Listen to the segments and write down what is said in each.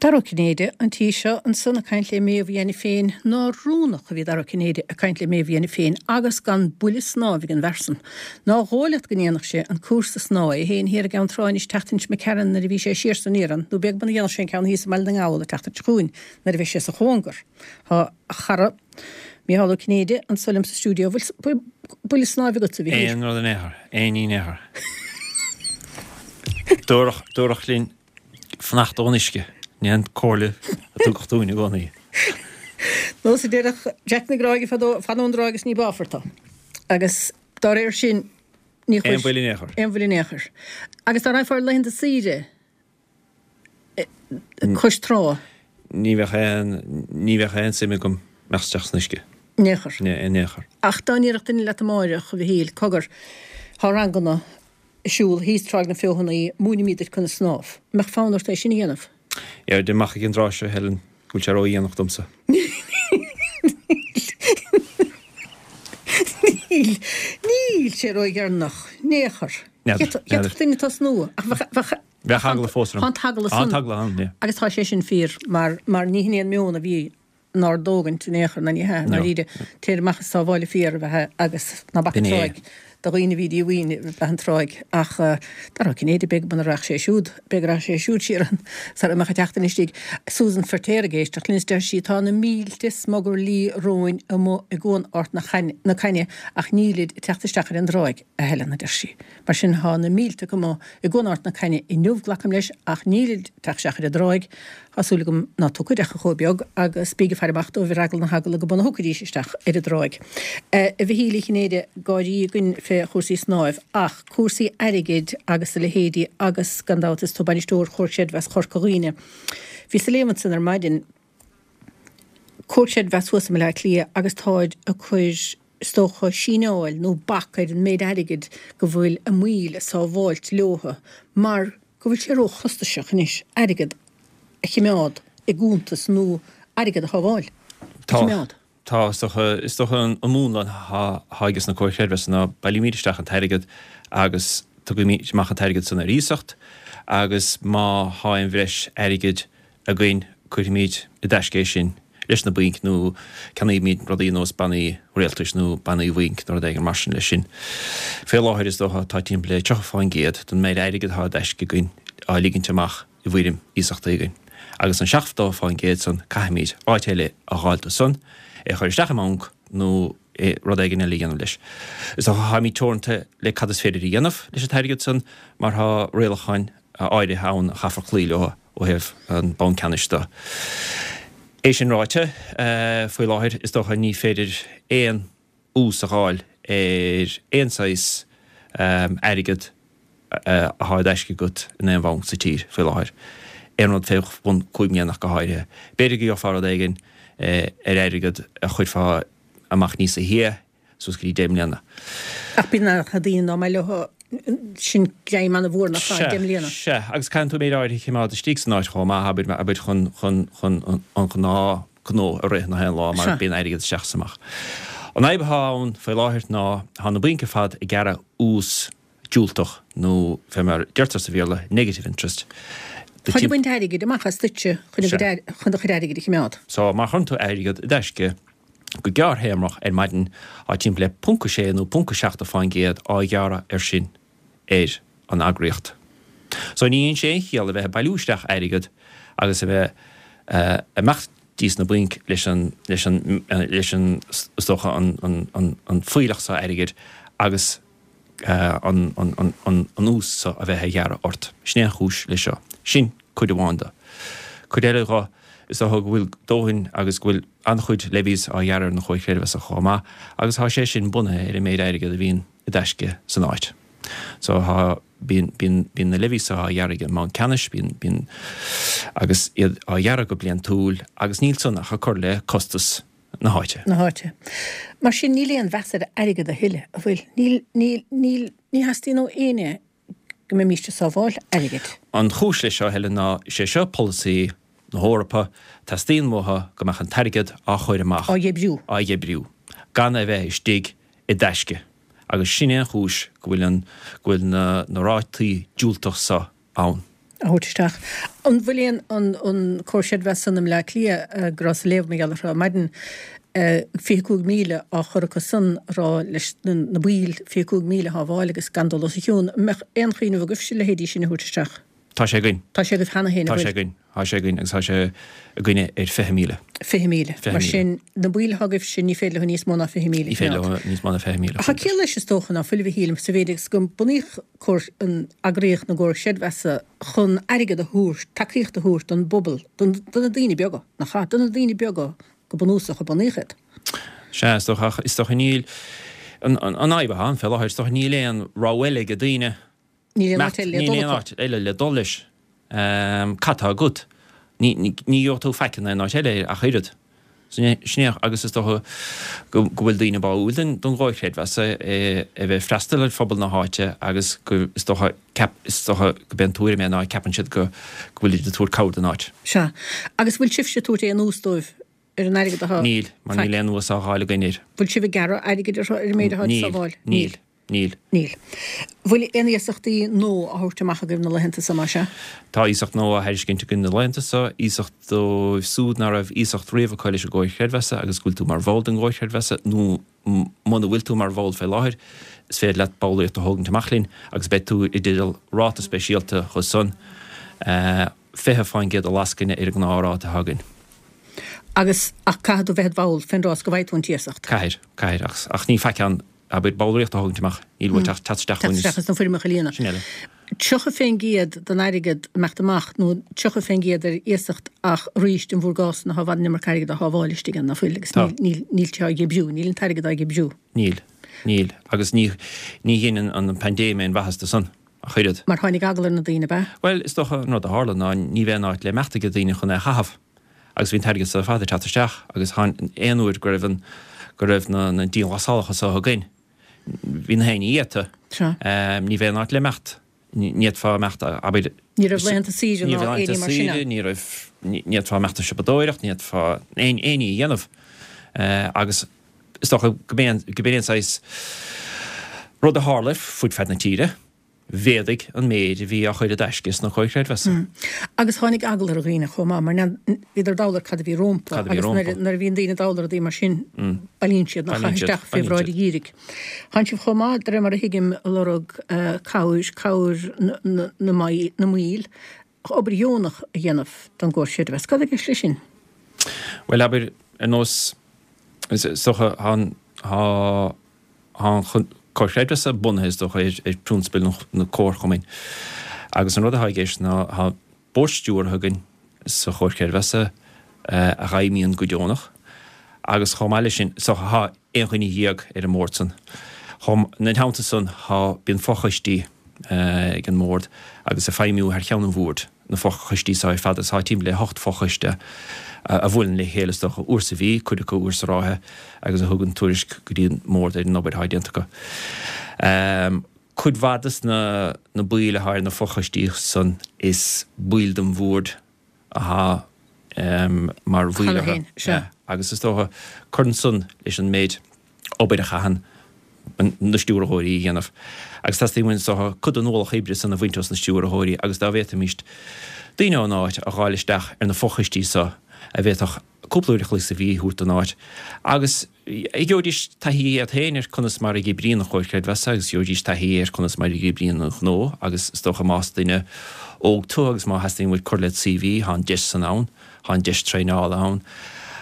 Dara Ó Cinnéide, an tí seo ansan ag caint le Méabh Uí Ainiféin, nár rúnach a bhí Dara Ó Cinnéide ag caint le Méabh Uí Ainiféin agus gan buille snámh ag an bhfear san. Nár dhóigh leat go ndéanfadh sé an cúrsa snámha é féin thiar i gCeann Trá anois tseachtain seo imigh tharainn nuair a bhí sé siar san iarann nó b'fhéidir go ndéanfadh sé an ceann thíos i mBaile na nGall an tseachtain seo chugainn nuair a bheidh sé sa chóngar. Tá a chara Mícheál Ó Cinnéide anso liom sa stiúideo. Bhfuil buille snáimh agatsa, a Mhichíl? Aon rud in aon chor. Aon ní in aon chor. Dúradh, dúradh linn Fanacht ón uisce. Sin an comhairle a tugadh dúinn i gcónaí. Nós a deireadh Jack na Gráige fadó, fan ón dtráigh is ní báfar tú. Agus dá réir sin, ní Aon bhuille in aon chor. Aon bhuille in aon chor. Agus dá raghfá ar laethanta saoire cois trá. Ní bheadh aon, ní bheadh aon suim agam imeacht isteach san uisce. In aon chor. In aon chor. Ach dá ndéarfadh duine leat amáireach, a Mhichíl, cogar, thá ranganna ag siúl thíos Tráigh na Feothanaí, múinfimid duit conas snámh. An mbeadh fonn ort é sin a dhéanamh? Deirim amach ag an dtráth seo, Helen, go bhfuil sé ródhéanach domsa. Níl, níl sé ródheireanach, in aon chor. N'fheadar, n'fheadar. D'fhéadfadh duine tosnú, ach bheadh, bheadh, Bheadh eagla fós orm. Tá an t-eagla san. Tá an t-eagla ann, yeah. Agus tá sé sin fíor, mar, mar ní hin é an meon a bhí nár dtógaint in aon chor, ná ní hea, i ndáiríre. Téir amach is sábháil an fear a bheatha agus ná bac an tráigh do dhaoine a bhí díomhaoin a bheith an tráigh. Ach Dara Ó Cinnéide, b'fhéidir go muna rachadh sé siúd, b'fhéidir go rachadh sé siúd siar ann sara mbeadh an tseachtain istigh. Susan Feirtéar ag éisteacht linn is deir sí, Tá na mílte smugairlí róin amuigh i gCuan Ard na Cainne ach nílid ag teacht isteach ar an dtráigh, a Helen, a deir sí. Mar sin tá na mílte acu amuigh i gCuan Ard na Cainne inniu, glacaim leis, ach nílid ag teacht isteach ar an dtráigh. Tá súil agam ná tiocfaid ach chomh beag agus bíg ag faire amach dóibh ar eagla na heagla go mba na thiocfaidís isteach ar an dtráigh. A Mhichíl Uí Chinnéide, gáirí againn fé chúrsaí snáimh ach cúrsaí airgid agus a leithéidí agus gan dabht is tú bainisteoir Chomhar Creidmheasa Chorca Dhuibhne. Bhíos ag léamh ansan ar maidin Comhar Creidmheasa thuas i mBaile Átha Cliath agus táid ag cur is dócha síneáil nó bac ar an méid airgid go bhfuil a mbaill ag sábháilt leotha mar go bhfuil sé róchostasach anois airgead a chimeád i gcuntas nó airgead a shábháil, a chimeád. Tá, is dócha, is dócha an múnla atá ages na comhair chreidmheasa ná bailímid isteach an t-airgead agus tugaimid amach an t-airgead san ar iasacht agus má thá aon bhreis airgid againn, cuirfimid i dtaisce é sin leis na bainc nó ceannaímid rudaí ar nós bannaí rialtais nó bannaí bhainc nó rud éigin mar sin leis sin. Fé láthair is dócha tá timpeall le 30% den méid airgid atá i dtaisce againn á ligint amach i bhfoirm iasachtaí againn. Agus an 70% san caithfimid áit eile a dh'fháil dó san, é a chur isteach i mbanc nó rud éigin eile a dhéanamh leis. Is dócha táimid teoranta le cad is féidir a dhéanamh leis an t-airgead san mar tá rialacháin áirithe ann a chaithfear cloí leo ó thaobh an Banc Ceannais de. É sin ráite, faoi láthair is dócha ní féidir aon ús a dh'fháil ar aon saghas airgead athá i dtaisce agat in aon bhanc sa tír faoi láthair. Aon rud fé bhun 5 mbliana ach go háirithe. B'fhéidir go gheofá rud éigin ar airgead a chuirfeá amach níosa shia, suas go dtí 10 mbliana. Ach bíonn na daoine ná mbeidh leo sin greim an-mhór nach ea, 10 mbliana. Sea, agus caitheann tú méid áirithe a choimeád istigh san áit chomh maith, abair, abair chun, chun, chun an gnáth gnó a rith nach aon lá mar bíonn airgead isteach is amach. An fhadhb atá ann faoi láthair ná tá na bainc ar fad ag gearradh ús diúltach nó fé mar deirtear sa Bhéarla negative interest. Táid ag baint airgid amach as duitse chun a gcuid, chun do chuid airgid a choimeád. So má chuireann tú airgead i dtaisce go gearrthéarmach ar maidin tá timpeall le ponc a sé nó ponc a 7 fán gcéad á ghearradh air sin ar an eagraíocht. So ní dhéanann sé aon chiall a bheith ag bailiú isteach airgead agus a bheith ag imeacht dtí sna bainc leis an, leis an, leis an, is dócha an, an, an, an fuílleach so airgid agus an ús so a bheith á ghearradh ort. Sin é an chúis leis seo. Sin cuid amháin de. Cuid eile dhe, is dócha go bhfuil dóthain agus go bhfuil an-chuid levies á ghearradh ar na comhair chreidmheasa chomh maith agus tá sé sin bunaithe ar an méid airgead a bhíonn i dtaisce san áit. So tá, bíonn, bíonn, bíonn na levies so á ghearradh ag an mBanc Ceannais, bíonn, bíonn, agus iad á ghearradh go bliantúil agus níl san ach ag cur le costas na háite. na háite. Mar sin, níl aon mheas ar airgead a thuilleadh, an bhfuil? Níl, níl, níl, ní theastaíonn ó éinne go mbeimíst ag sábháil airgid. An chúis leis seo, Helen, ná is é seo polasaí na hEorpa, teastaíonn uathu go mbeadh an t-airgead á chur amach, Á dhíbriú. á dhíbriú, gan é a bheith istigh i dtaisce. Agus sin é an chúis go bhfuil an, go bhfuil na, na rátaí diúltach so ann. A thabhairt isteach. An bhfuil aon, an, an Comhar Creidmheasa san i mBleá Cliath, go rabhas ag léamh mar gheall orthu ar maidin, 25,000 á chur acu san a rá leis na, na baill 25,000 a shábháil agus gan dul os a chionn. An mbeadh aon chuimhneamh agaibhse a leithéidí sin a thabhairt isteach? Tá sé againn. Tá sé agaibh cheana féin, an bhfuil? Tá sé againn. Tá sé againn agus tá sé againne ar 20,000. 20,000. Mar sin, na baill atá agaibhse, ní féidir leo níos mó ná 20,000 a Ní féidir leo níos mó ná 20,000 a Tá ciall leis is dócha ná fuil, a Mhichíl, sa mhéid agus go bunaíodh comhar, an eagraíocht na gComhar Creidmheasa chun airgead a thabhairt, tacaíocht a thabhairt don bpobal, don, do na daoine beaga, nach ea? Do na daoine beaga go bunúsach a bunaíodh iad. Sea, is dócha, ach is dócha níl, an, an, an fhadhb atá ann fé láthair, is dócha níl aon rogha eile ag daoine. Níl aon áit eile le dul Níl aon áit eile le dul leis. Cad tá agat? Ní gheobhaidh tú faic in aon áit eile ach oiread. Sin é agus is dócha go bhfuil daoine báúil don gcomhar creidmheasa a bheith ag freastal ar phobal na háite agus go is dócha ceap is dócha go b'é an tuairim é ná ceapann siad go bhfuilid ag tabhairt cabhair don áit. Sea. Agus bhfuil sibhse ag tabhairt aon ús dóibh ar an airgead atá Níl, mar níl aon ús á dháileadh againn air. Bhfuil sibh ag gearradh airgid orthu ar an méid atá ag sábháil? Níl. Níl. Níl. Níl. Bhfuil aon iasachtaí nua á thabhairt amach agaibh na laethanta so, más ea? Tá iasacht nua á thairiscint againn na laethanta so, iasacht dóibh súd ná raibh iasacht riamh acu leis an gComhar Creidmheasa agus go bhfuil tú mar bhall den gComhar Creidmheasa nó muna bhfuil tú mar bhall fé láthair, is féidir leat ballraíocht a thógaint amach linn agus beidh tú i dteideal ráta speisialta chucu san, 20% de lascaine ar an ngnáthráta atá againn. Agus, ach caithfidh tú bheith id bhall fén dtráth is go bhfaighidh tú an t-iasacht. Caithfidh, caithfidh, ach, ach ní faic ann Abair, ballraíocht a thógaint amach, níl uait ach teacht isteach chugainn is. Teacht isteach is na foirmeacha a líonadh. Sin eile. 30% den airgead imeacht amach, nó 30% ar iasacht ach arís in bhur gcás ná tá i bhfad an iomarca airgid á shábháil istigh ann, ná fuil, agus Tá. níl, níl sé á dhíbriú, níl an t-airgead á dhíbriú. Níl. Níl. Agus ní, ní dhein an, an paindéim aon mhaitheas do san, ach oiread. Mar tháinig eagla ar na daoine, ab ea? Bhuel, is dócha an rud a tharla ná ní bheadh aon áit le imeacht ag daoine chun é a chaitheamh. Agus bhí an t-airgead so ar fad ag teacht isteach agus tháin aon uair go raibh an, go raibh na, na dianghlasálacha so againn, bhí na héinne iata. Sea. Ní bheadh aon áit le imeacht. Ní fhéadfá imeacht, abair. Ní raibh laethanta saoire ná aon ní mar sin ann. Ní raibh, ní fhéadfá imeacht ag siopadóireacht, ní fhéadfá aon, aon ní a dhéanamh. Agus is dócha go b'é an, go b'é an saghas rud a tharla fud fad na tíre. mhéadaigh an méid a bhí á chur i dtaisce sna comhair chreidmheasa. Agus tháinig eagla ar dhaoine chomh maith, mar bhíodar dall ar cad a bhí rompu, agus nuair a bhíonn daoine dall ar rudaí mar sin, bailíonn siad, nach chaith isteach fé bhráid an gheimhridh. Tánn sibh chomh maith, de réir mar a thuigim, ag lorg cabhair, cabhair na mbaill, obair dheonach a dhéanamh don gcomhar creidmheasa. Cad i gceist leis sin? Bhuel, abair, ar nós, is dócha, tá an, tá, Tá an Comhar Creidmheasa bunaithe, is dócha, ar phrionsabail na comharchumainn agus an rud atá i gceist ná tá bord stiúrtha againn sa Chomhar Creidmheasa a fheidhmíonn go deonach agus chomh maith leis sin, so tá aon dhuine dhéag ar an mbord san. Chomh, ina theannta san tá, bíonn fochoistí ag an mbord agus ag feidhmiú thar cheann an bhoird. na fochoistí seo ar fad, tá timpeall le hocht fochoiste a bhuaileann le chéile is dócha uair sa mhí, cuid acu uair sa ráithe, agus a thugann tuairisc go dtí an mbord ar an obair atá déanta acu. Cuid mhaith des na na baill atá ar na fochoistí san is baill den bhord atá mar bhaill orthu. Agus is dócha cuireann san leis an méid obair a chaitheann na stiúrthóirí a dhéanamh. Agus teastaíonn uainn is dócha cuid den ualach oibre san a bhaint os na stiúrthóirí agus dá bhféadfaimíst daoine ón áit a dh'fháil isteach ar na fochoistí so a bhféadfadh cúpla uair a chloig sa mhí a thabhairt don áit agus gheobhaidís taithí iad féin ar conas mar a oibríonn an Chomhar Creidmheasa agus gheobhaidís taithí ar conas mar a oibríonn an gnó agus is dócha más duine óg tú agus má theastaíonn uait cur led CV tá an deis san ann. Tá an deis traenála ann.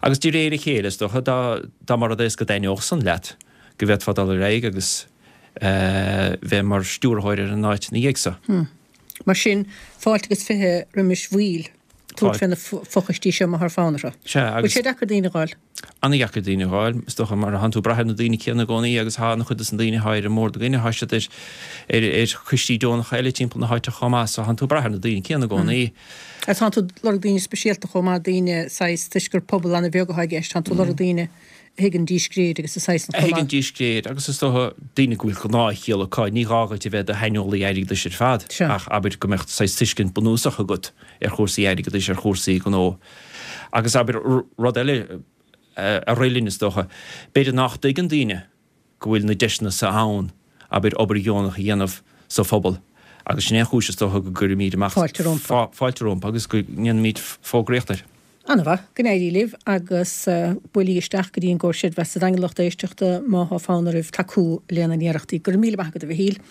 Agus de réir a chéile, is dócha, dá dá mba rud é is go dtaitneodh san leat, go bhféadfá dul ar aghaidh agus bheith mar stiúrthóir ar an áit ina dhiaidh so. Mar sin, fáilte agus 20 roimis bhaill tabhairt fé na fochoistí seo má thá fonn orthu. Sea, agus. Bhfuil sé deacair daoine a dh'fháil? Ana-dheacair daoine a dh'fháil, is dócha, mar thánn tú ag brath ar na daoine céanna i gcónaí agus thá an-chuid dos na daoine athá ar an mbord againne, thá siad ar ar ar choistí deonacha eile timpeall na háite chomh maith, so thánn tú ag brath ar na daoine céanna i gcónaí. Agus tánn tú ag lorg daoine speisialta chomh maith, daoine saghas, toisc gur pobal an-bheag athá i gceist, tánn tú ag lorg daoine a thuigeann díscréid agus a saghas chomh maith. A thuigeann díscréid agus is dócha daoine go bhfuil gnáthchiall acu, ní gá dhuit a bheith i do shaineolaí airgeadais ar fad ach abair go mbeadh saghas tuiscint bunúsach agat ar chúrsaí airgeadais, ar chúrsaí gnó. Agus abair rud eile a rith linn is dócha, b'fhéidir nach dtuigeann daoine go bhfuil na deiseanna so ann, abair, obair dheonach a dhéanamh sa phobal. Agus sin é an chúis is dócha go gcuirimid amach Fáilte rompu. fáilte rompu agus go ndéanaimid fógraíocht air. Ana-mhaith. Go n-éirí libh agus buailí isteach go dtí an gComhar Creidmheasa sa Daingean lucht éisteachta má thá fonn oraibh tacú lena n-iarrachtaí. Go raibh míle maith agat a Mhichíl.